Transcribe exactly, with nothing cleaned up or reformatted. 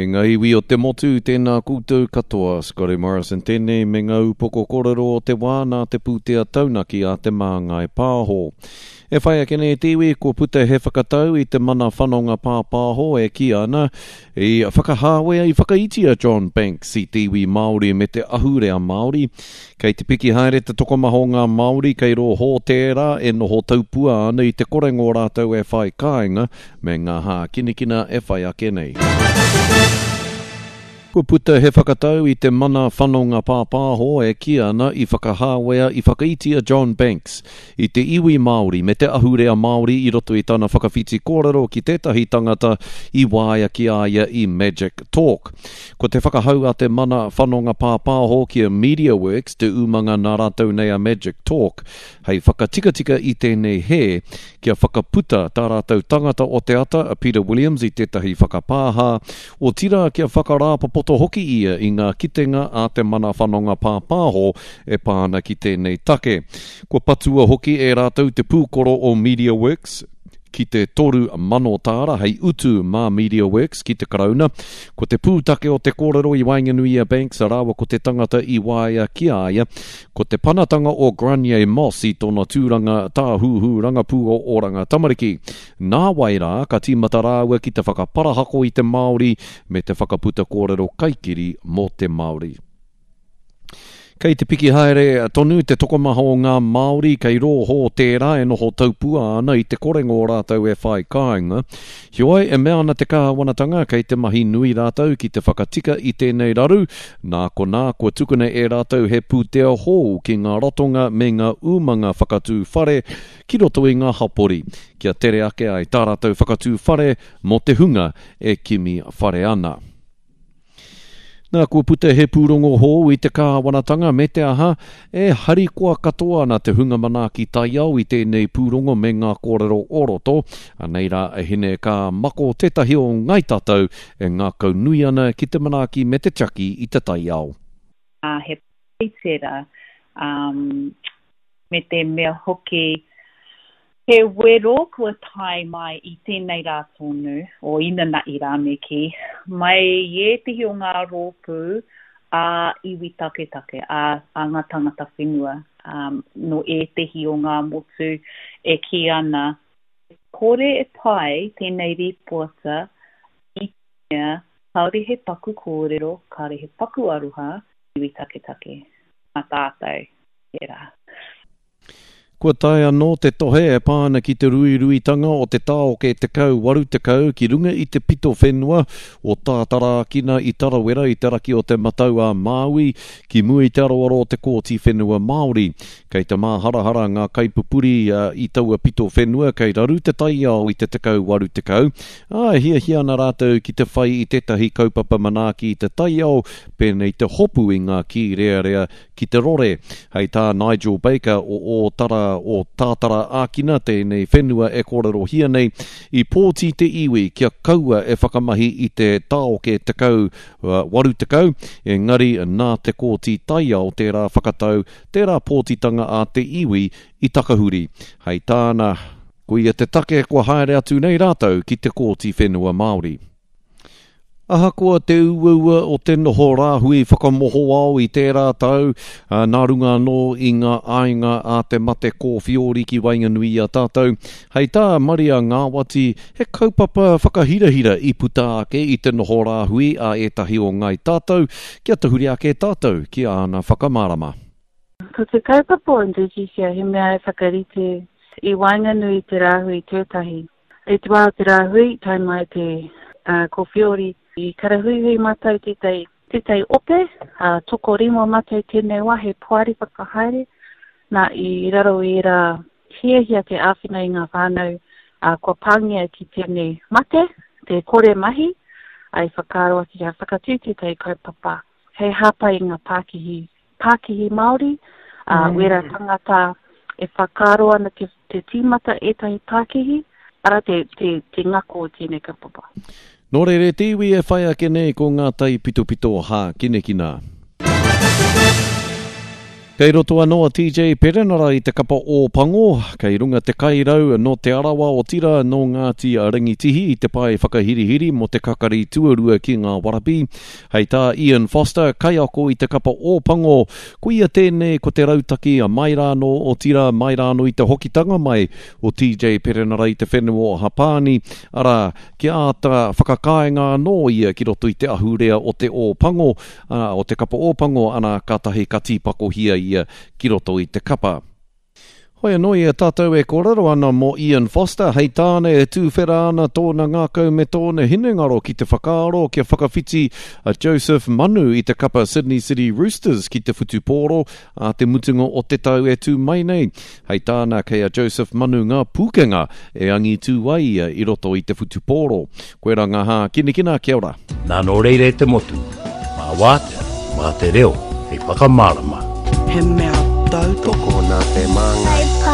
E ngā iwi o te motu, tēnā koutou katoa, Scotty Morrison tēnei me ngā upoko kōrero o te wā nā te pūtea taunaki a Te Māngai Pāho. E whai ake nei te iwi, kua puta he whakatau i te mana whanonga pāpāho e kī ana i whakahāwea i whakaiti a John Banks i te iwi Māori me te ahurea Māori. Kei te piki haere te tokomaha o ngā Māori kei rō hōtēra e noho taupua ana i te korenga o rātou e whai kāinga me ngā hākinakina e whai ake nei. Kua puta he whakatau i te mana whanonga pāpāho e kī ana i whakahāwea i whakaiti a John Banks i te iwi Māori me te ahurea Māori i roto i tana whakawhiti kōrero ki tētahi tangata i waea ki a ia i Magic Talk. Ko te whakahau a te mana whanonga pāpāho ki a MediaWorks te umanga nā rātou nei a Magic Talk hei whakatikatika i tēnei hē kia whakaputa tā rātou tangata o te ata a Peter Williams i tētahi whakapāha, otirā kia whakarāpopoto hoki ia i ngā kitenga a te mana whanonga pāpāho e pā ana ki tēnei take. Kua patua hoki e rātou te pūkoro o MediaWorks ki te toru mano tāra hei utu mā MediaWorks ki te Karauna. Ko te pūtake o te kōrero i waenganui i a Banks rāua ko te tangata i waea ki a ia, ko te panatanga o Granier Moss i tōna tūranga tāhuhu rangapū o Oranga Tamariki. Nā wai rā, ka tīmata rāua ki te whakaparahako i te Māori me te whakaputa kōrero kaikiri mō te Māori. Kei te piki haere tonu te tokomaha o ngā Māori kei rō hōtēra e noho taupua ana i te korenga o rātou e whai kāinga. Heoi, e mea ana te kāwanatanga kei te mahi nui rātou ki te whakatika i tēnei raru, nā konā kua tukuna e rātou he pūtea hou ki ngā ratonga me ngā umanga whakatū whare ki roto i ngā hapori, kia tere ake ai tā rātou whakatū whare mō te hunga e kimi whare ana. Nā, kua puta he pūrongo hou i te kāwanatanga me te aha, e harikoa katoa ana te hunga manaaki taiao i tēnei pūrongo me ngā kōrero o roto. Anei rā a Hine Ka Mako tētahi o Ngāi Tātou e ngākau nui ana ki te manaaki me te tiaki i te taiao. Uh, he pai tērā, um, me te mea hoki he wero kua tae mai i tēnei rā tonu, o inanahi rā me kī, mai i ētehi o ngā rōpū a iwi taketake, a, a ngā tangata whenua, um, no ētehi o ngā motu e kī ana, kore e pai tēnei rīpoata i te mea kāore he paku kōrero, kāore he paku aroha iwi taketake, mā tātou tērā. Kua tae anō te tohe e pā ana ki te ruiruitanga o te tāoke tekau waru tekau ki runga i te pito whenua o Tātaraakina i Tarawera i te raki o te Matau a Māui ki mua i te aroaro o te Kōti Whenua Māori. Kei te māharahara ngā kaipupuri i taua pito whenua kei raru te taiao i te tekau waru tekau, ā, e hiahia ana rātou ki te whai i tētahi kaupapa manaaki i te taiao pēnei te hopu i ngā kīrearea ki te rore. Hei tā Nigel Baker o Ōtara o Tātara Ākina tēnei whenua e kōrerohia nei, i pōti te iwi kia kaua e whakamahi i te tāoke tekau waru tekau, engari nā te Kōti Taiao tērā whakatau, tērā pōtitanga a te iwi i takahuri. Hei tāna, koia te take kua haere atu nei rātou ki te Kōti Whenua Māori. Ahakoa te uaua o te noho rāhui whakamohoao i tērā tau, nā runga anō i ngā āinga a te mate kōwhiori ki waenganui i a tātou, hei tā Maria Ngāwati, he kaupapa whakahirahira i puta ake i te noho rāhui a ētahi o Ngāi Tātou, kia tahuri ake tātou ki āna whakamārama. Ko te kaupapa o Indigesia he mea e whakarite i waenganui i te rāhui tētahi. I te wā o te rāhui, tae mai te uh, kōwhiori, i karahuihui mātou tētahi, tētahi ope, uh, tokorima mātou tēnei wā, he poari whakahaere, nā i raro i ērā hiahia te āwhina i ngā whānau, uh, kua pāngia ki tēnei mate, te kore mahi, ai whakaaro ake kia whakatū tētahi kaupapa, hei hāpai i ngā pākihi, pākihi Māori, uh, mm. wera tangata e whakaaro ana te, te tīmata ētahi pākihi, ara te, te, te ngako o tēnei kaupapa. Nō reira te iwi e whai ake nei ko ngā taipitopito hākinakina. Kei roto anō a T J Perenara i te kapa Ōpango, kei runga te kairau nō Te Arawa otirā nō Ngāti Rangitihi i te pae whakahirihiri mō te kakari tuarua ki ngā Warabi. Hei tā Ian Foster, kaiako i te kapa Ōpango, koia tēnei ko te rautaki a mai rānō otirā mai rānō i te hokitanga mai o T J Perenara i te whenua o Hapāni, arā, kia āta whakakāinga anō ia ki roto i te ahurea o te Ōpango, ā, o te kapa Ōpango, ana kātahi ka tīpakohia ia ki roto i te kapa. Hoi anō i a tātou e kōrero ana mō Ian Foster, hei tāna e tūwhera ana tōna ngākau me tōna hinengaro ki te whakaaro kia whakawhiti a Joseph Manu i te kapa Sydney City Roosters ki te whutupōro a te mutunga o te tau e tū mai nei. Hei tāna kei a Joseph Manu ngā pūkenga e angitū ai ia i roto i te whutupōro. Koirā ngā hākinakina, kia ora. Nā nō reira e te motu, mā wātea, mā te reo, hei whakamārama. He mea tautoko Tokona te māngai.